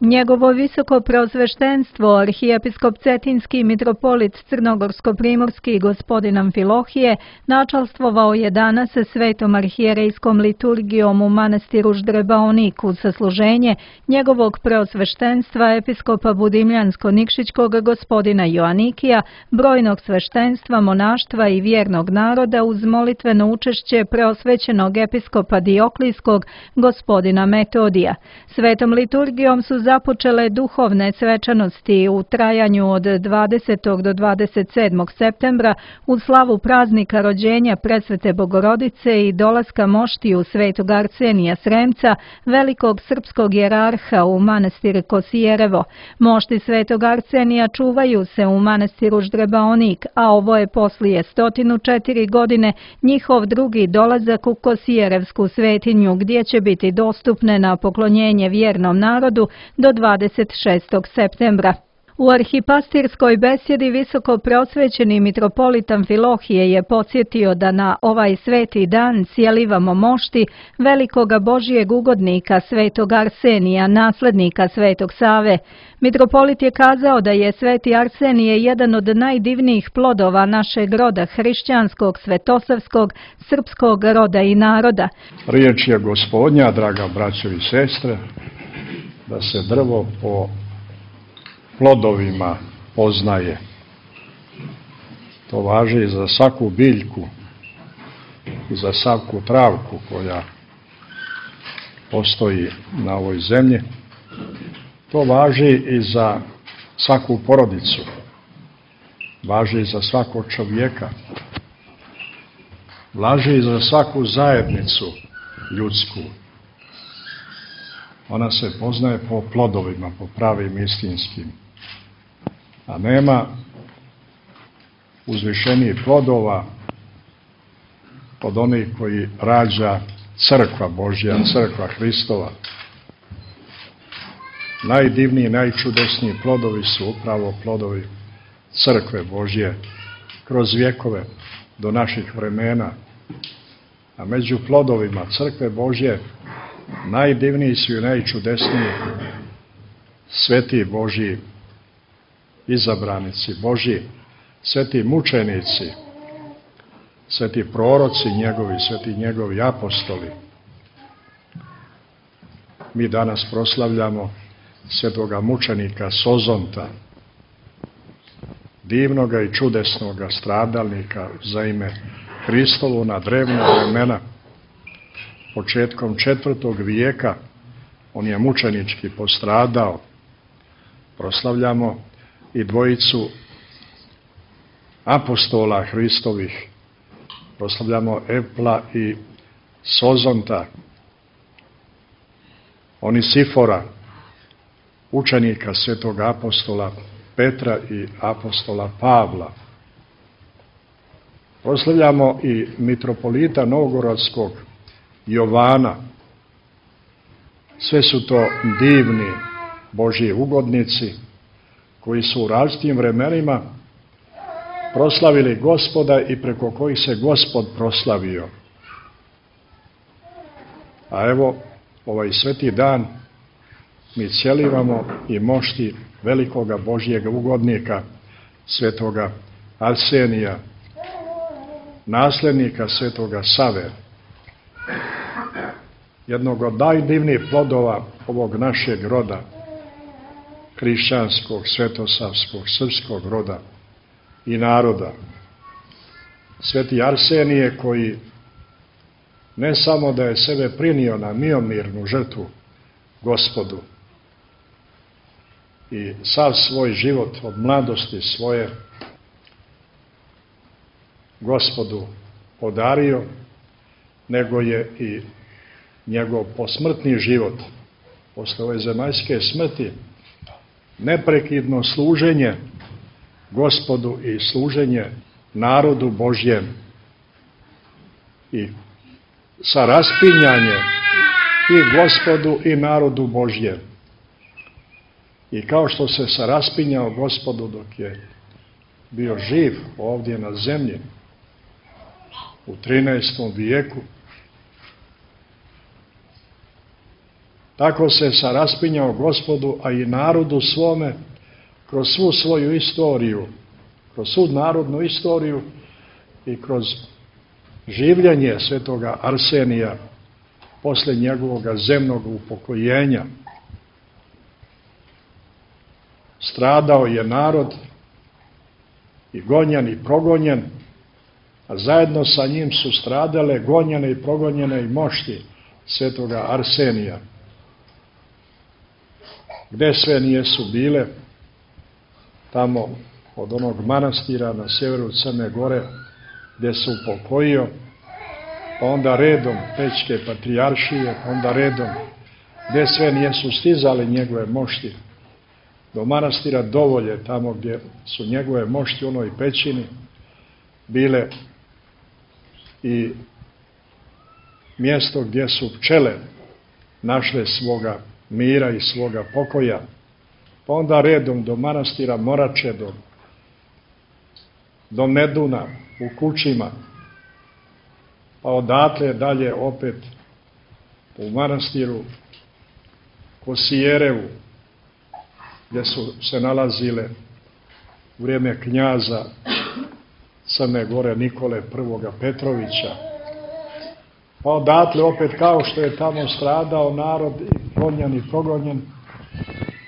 Njegovo visoko preosveštenstvo, arhijepiskop Cetinski mitropolit Crnogorsko-primorski gospodin Amfilohije, načalstvovao je danas svetom arhijerejskom liturgijom u manastiru Ždrebaonik uz sasluženje njegovog preosveštenstva episkopa Budimljansko-Nikšićkog gospodina Joanikija, brojnog sveštenstva, monaštva i vjernog naroda uz molitveno učešće preosvećenog episkopa Dioklijskog gospodina Metodija. Svetom liturgijom su započele duhovne svečanosti u trajanju od 20. do 27. septembra uz slavu praznika rođenja Presvete Bogorodice i dolaska moštiju svetog Arsenija Sremca, velikog srpskog jerarha u manastir Kosijerevo. Mošti svetog Arsenija čuvaju se u manastiru Ždrebaonik, a ovo je poslije 104 godine njihov drugi dolazak u Kosijerevsku svetinju, gdje će biti dostupne na poklonjenje vjernom narodu do 26. septembra. U arhipastirskoj besjedi visoko preosvećeni mitropolit Amfilohije je podsjetio da na ovaj sveti dan sjelivamo mošti velikoga Božijeg ugodnika svetog Arsenija, naslednika svetog Save. Mitropolit je kazao da je sveti Arsenije jedan od najdivnijih plodova našeg roda, hrišćanskog, svetosavskog, srpskog roda i naroda. Riječ je Gospodnja, draga braćo i sestre, da se drvo po plodovima poznaje. To važi i za svaku biljku i za svaku travku koja postoji na ovoj zemlji. To važi i za svaku porodicu. Važi i za svakog čovjeka. Važi i za svaku zajednicu ljudsku. Ona se poznaje po plodovima, po pravim istinskim. A nema uzvišenijih plodova od onih koji rađa crkva Božja, crkva Hristova. Najdivniji, najčudesniji plodovi su upravo plodovi crkve Božje kroz vjekove do naših vremena. A među plodovima crkve Božje najdivniji su i najčudesniji sveti Božji izabranici Božji, sveti mučenici, sveti proroci njegovi, sveti njegovi apostoli. Mi danas proslavljamo svetoga mučenika Sozonta, divnoga i čudesnoga stradalnika za ime Hristovo na drevna vremena. Početkom 4. vijeka on je mučenički postradao. Proslavljamo i dvojicu apostola Hristovih. Proslavljamo Epla i Sozonta, Onisifora, učenika svetog apostola Petra i apostola Pavla. Proslavljamo i mitropolita Novgorodskog Jovana. Sve su to divni Božji ugodnici koji su u različitim vremenima proslavili Gospoda i preko kojih se Gospod proslavio. A evo, ovaj sveti dan mi cjelivamo i mošti velikoga Božjega ugodnika, svetoga Arsenija, nasljednika svetoga Save, jednog od najdivnijih plodova ovog našeg roda, hrišćanskog, svetosavskog, srpskog roda i naroda. Sveti Arsenije koji ne samo da je sebe prinio na miomirnu žrtvu Gospodu i sav svoj život od mladosti svoje Gospodu podario, nego je i njegov posmrtni život, posle ove zemaljske smrti, neprekidno služenje Gospodu i služenje narodu Božjem i sa raspinjanje i Gospodu i narodu Božjem. I kao što se sa raspinjao Gospodu dok je bio živ ovdje na zemlji u 13. vijeku, tako se raspinjao Gospodu, a i narodu svome, kroz svu svoju istoriju, kroz svu narodnu istoriju i kroz življenje svetoga Arsenija posle njegovog zemnog upokojenja. Stradao je narod i gonjen i progonjen, a zajedno sa njim su stradale, gonjene i progonjene i mošti svetoga Arsenija. Gde sve nijesu bile, tamo od onog manastira na sjeveru Crne Gore, gde se upokojio, pa onda redom Pećke patrijaršije, pa onda redom gde sve nijesu stizali njegove mošti, do manastira Dovolje, tamo gdje su njegove mošti u onoj pećini bile i mjesto gdje su pčele našle svoga mira i svoga pokoja, pa onda redom do manastira Morače, do Meduna u Kučima, pa odatle dalje opet u manastiru Kosijerevu, gdje su se nalazile u vrijeme knjaza Crne Gore Nikole I. Petrovića. Pa odatle opet, kao što je tamo stradao narod i gonjen i progonjen,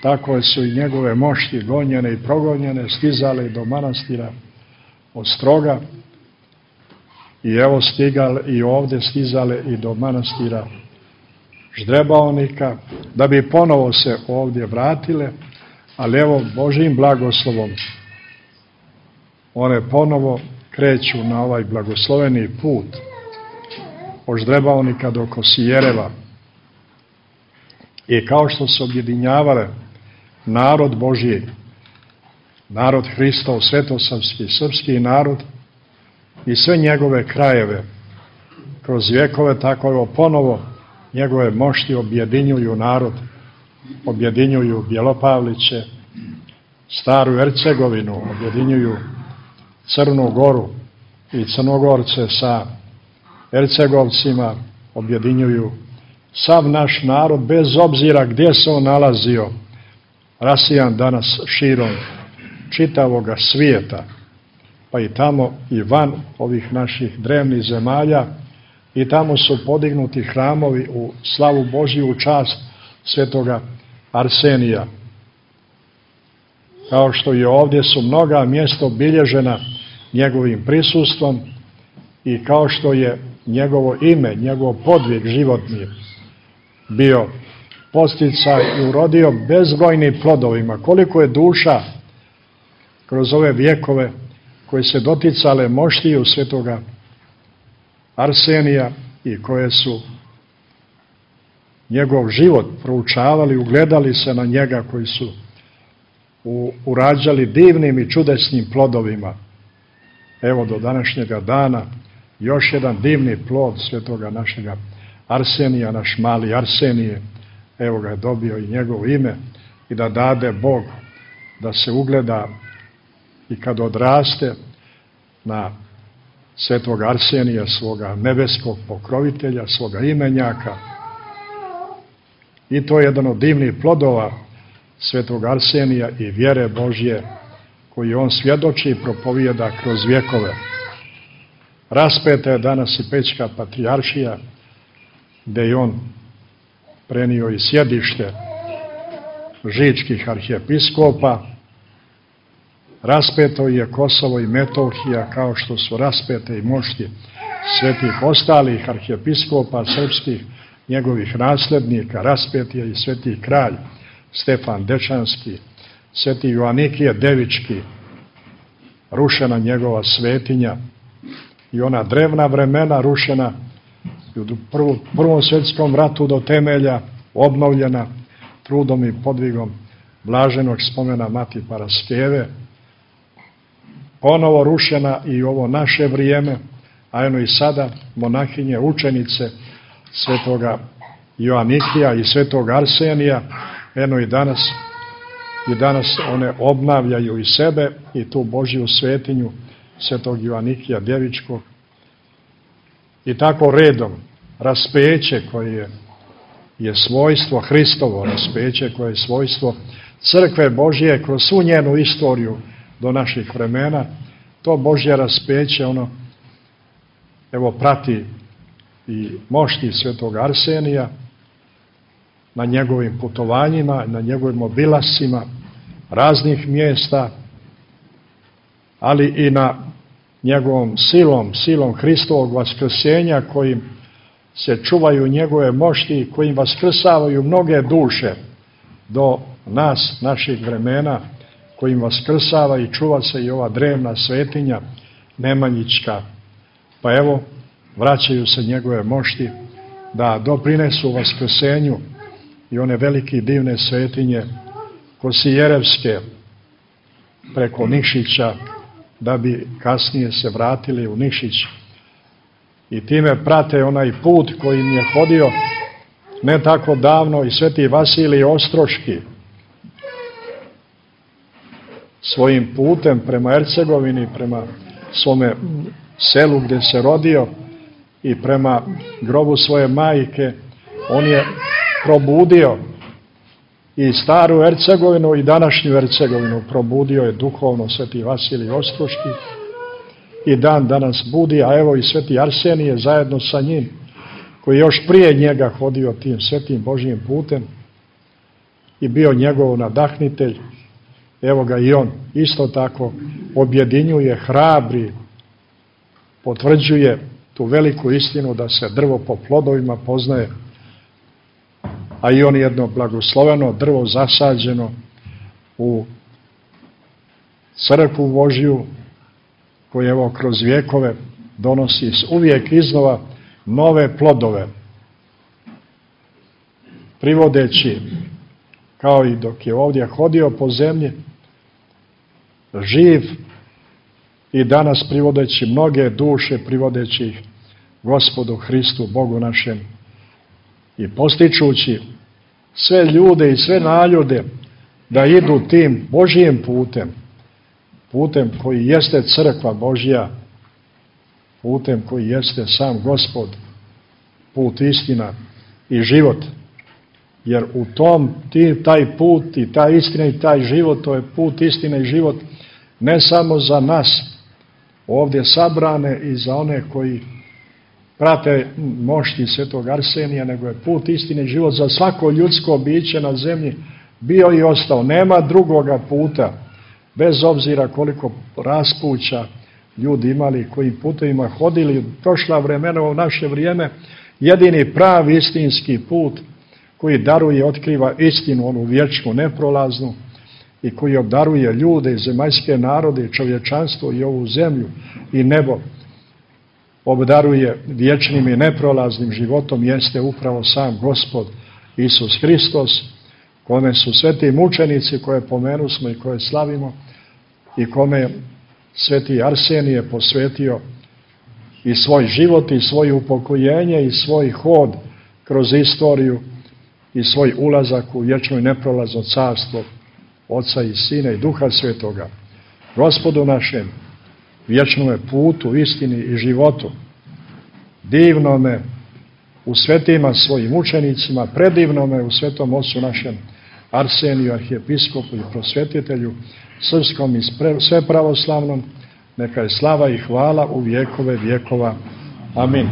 tako su i njegove mošti gonjene i progonjene stizale do manastira Ostroga, i evo stigale i ovdje stizale i do manastira Ždrebaonika, da bi ponovo se ovdje vratile, ali evo Božjim blagoslovom one ponovo kreću na ovaj blagosloveni put od Ždrebaonika do Kosijereva. I kao što su objedinjavale narod Božji, narod Hristov, svetosavski, srpski narod i sve njegove krajeve kroz vjekove, tako evo ponovo njegove mošti objedinjuju narod, objedinjuju Bjelopavliće, Staru Ercegovinu, objedinjuju Crnu Goru i Crnogorce sa Ercegovcima, objedinjuju sav naš narod, bez obzira gdje se on nalazio, rasijan danas širom čitavoga svijeta, pa i tamo i van ovih naših drevnih zemalja, i tamo su podignuti hramovi u slavu Božju, u čast svetoga Arsenija. Kao što i ovdje su mnoga mjesta obilježena njegovim prisustvom i kao što je njegovo ime, njegov podvig životni bio posticaj i urodio bezbrojnim plodovima. Koliko je duša kroz ove vjekove koje se doticale moštiju svetoga Arsenija i koje su njegov život proučavali, ugledali se na njega, koji su urađali divnim i čudesnim plodovima. Evo do današnjega dana još jedan divni plod svetoga našega Arsenija, naš mali Arsenije, evo ga je dobio i njegovo ime, i da dade Bog da se ugleda i kad odraste na svetog Arsenija, svoga nebeskog pokrovitelja, svoga imenjaka. I to je jedan od divnih plodova svetog Arsenija i vjere Božje koji on svjedoči i propovijeda kroz vjekove. Raspeta je danas i Pećka patrijaršija, gdje je on prenio i sjedište žičkih arhijepiskopa. Raspeto je Kosovo i Metohija, kao što su raspete i mošti svetih ostalih arhijepiskopa srpskih, njegovih nasljednika. Raspet je i sveti kralj Stefan Dečanski, sveti Joanikije Devički, rušena njegova svetinja i ona drevna vremena rušena u Prvom svjetskom ratu do temelja, obnovljena trudom i podvigom blaženog spomena Mati Paraskeve, ponovo rušena i ovo naše vrijeme, a eno i sada monahinje, učenice svetoga Joanikija i svetog Arsenija, eno i danas one obnavljaju i sebe i tu Božju svetinju svetog Joanikija Devičkog. I tako redom raspeće koje je je svojstvo Hristovo raspeće, koje je svojstvo crkve Božje kroz svu njenu istoriju do naših vremena. To Božje raspeće, evo, prati i mošti svetog Arsenija na njegovim putovanjima, na njegovim obilascima raznih mjesta, ali i na njegovom silom Hristovog vaskrsenja, kojim se čuvaju njegove mošti, kojim vaskrsavaju mnoge duše do nas, naših vremena, kojim vaskrsava i čuva se i ova drevna svetinja Nemanjićka. Pa evo, vraćaju se njegove mošti da doprinesu vaskrsenju i one velike divne svetinje Kosijerevske preko Nikšića, da bi kasnije se vratili u Nikšić i time prate onaj put kojim je hodio ne tako davno i sveti Vasilij Ostroški svojim putem prema Ercegovini, prema svome selu gdje se rodio i prema grobu svoje majke. On je probudio i staru Ercegovinu i današnju Ercegovinu, probudio je duhovno sveti Vasilij Ostroški i dan danas budi, a evo i sveti Arsenije zajedno sa njim, koji je još prije njega hodio tim svetim Božjim putem i bio njegov nadahnitelj. Evo ga i on isto tako objedinjuje, hrabri, potvrđuje tu veliku istinu da se drvo po plodovima poznaje, a i on jedno blagosloveno drvo zasađeno u crkvu Božju, koje evo kroz vjekove donosi uvijek iznova nove plodove, privodeći, kao i dok je ovdje hodio po zemlji, živ i danas privodeći mnoge duše, privodeći ih Gospodu Hristu, Bogu našem, i postičući sve ljude i sve naljude da idu tim Božjim putem koji jeste crkva Božja, putem koji jeste sam Gospod, put, istina i život. Jer u tom, taj put i ta istina i taj život, to je put, istina i život ne samo za nas ovdje sabrane i za one koji prate mošti svetog Arsenija, nego je put, istine i život za svako ljudsko biće na zemlji bio i ostao. Nema drugoga puta, bez obzira koliko raspuća ljudi imali, kojim putevima hodili prošla vremena, u naše vrijeme, jedini pravi istinski put koji daruje, otkriva istinu, onu vječnu, neprolaznu, i koji obdaruje ljude i zemaljske narode i čovječanstvo i ovu zemlju i nebo, obdaruje vječnim i neprolaznim životom, jeste upravo sam Gospod Isus Hristos, kome su sveti mučenici koje pomenusmo i koje slavimo i kome sveti Arsenije posvetio i svoj život i svoje upokojenje i svoj hod kroz istoriju i svoj ulazak u vječno i neprolazno carstvo Oca i Sina i Duha Svetoga. Gospodu našem, vječnome putu, istini i životu, divnome u svetima svojim učenicima, predivnome u svetom ocu našem Arseniju, arhijepiskopu i prosvjetitelju, srpskom i sve pravoslavnom, neka je slava i hvala u vjekove vjekova. Amin.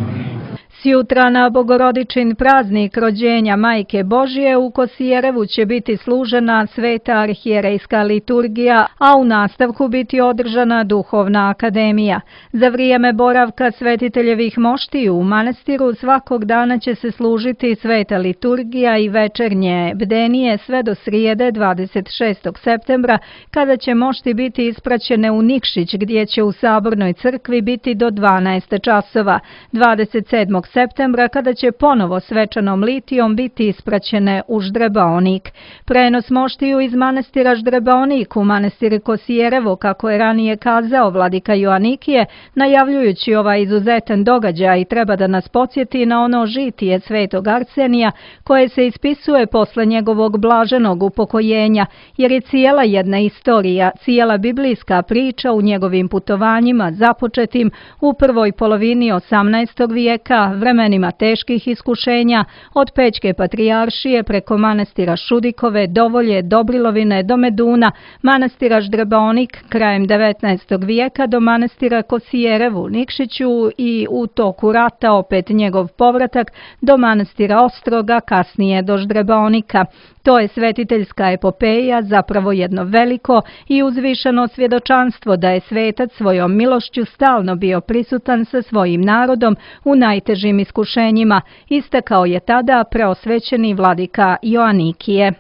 Sjutra na Bogorodičin praznik rođenja Majke Božje u Kosijerevu će biti služena sveta arhijerejska liturgija, a u nastavku biti održana duhovna akademija. Za vrijeme boravka svetiteljevih moštiju u manastiru svakog dana će se služiti sveta liturgija i večernje bdenije sve do srijede 26. septembra, kada će mošti biti ispraćene u Nikšić, gdje će u Sabornoj crkvi biti do 12 časova. 27. septembra, kada će ponovo svečanom litijom biti ispraćene u Ždrebaonik. Prenos moštiju iz manastira Ždrebaonik u manastir Kosijerevo, kako je ranije kazao vladika Joanikije, najavljujući ovaj izuzetan događaj, treba da nas podsjeti na ono žitije svetog Arsenija koje se ispisuje posle njegovog blaženog upokojenja, jer je cijela jedna istorija, cijela biblijska priča u njegovim putovanjima započetim u prvoj polovini 18. vijeka, vremenima teških iskušenja, od Pećke patrijaršije preko manastira Šudikove, Dovolje, Dobrilovine do Meduna, manastira Ždrebaonik krajem 19. vijeka do manastira Kosijerev u Nikšiću i u toku rata opet njegov povratak do manastira Ostroga, kasnije do Ždrebaonika. To je svetiteljska epopeja, zapravo jedno veliko i uzvišeno svjedočanstvo da je svetac svojom milošću stalno bio prisutan sa svojim narodom u najtežim iskušenjima, istakao je tada preosvećeni vladika Joanikije.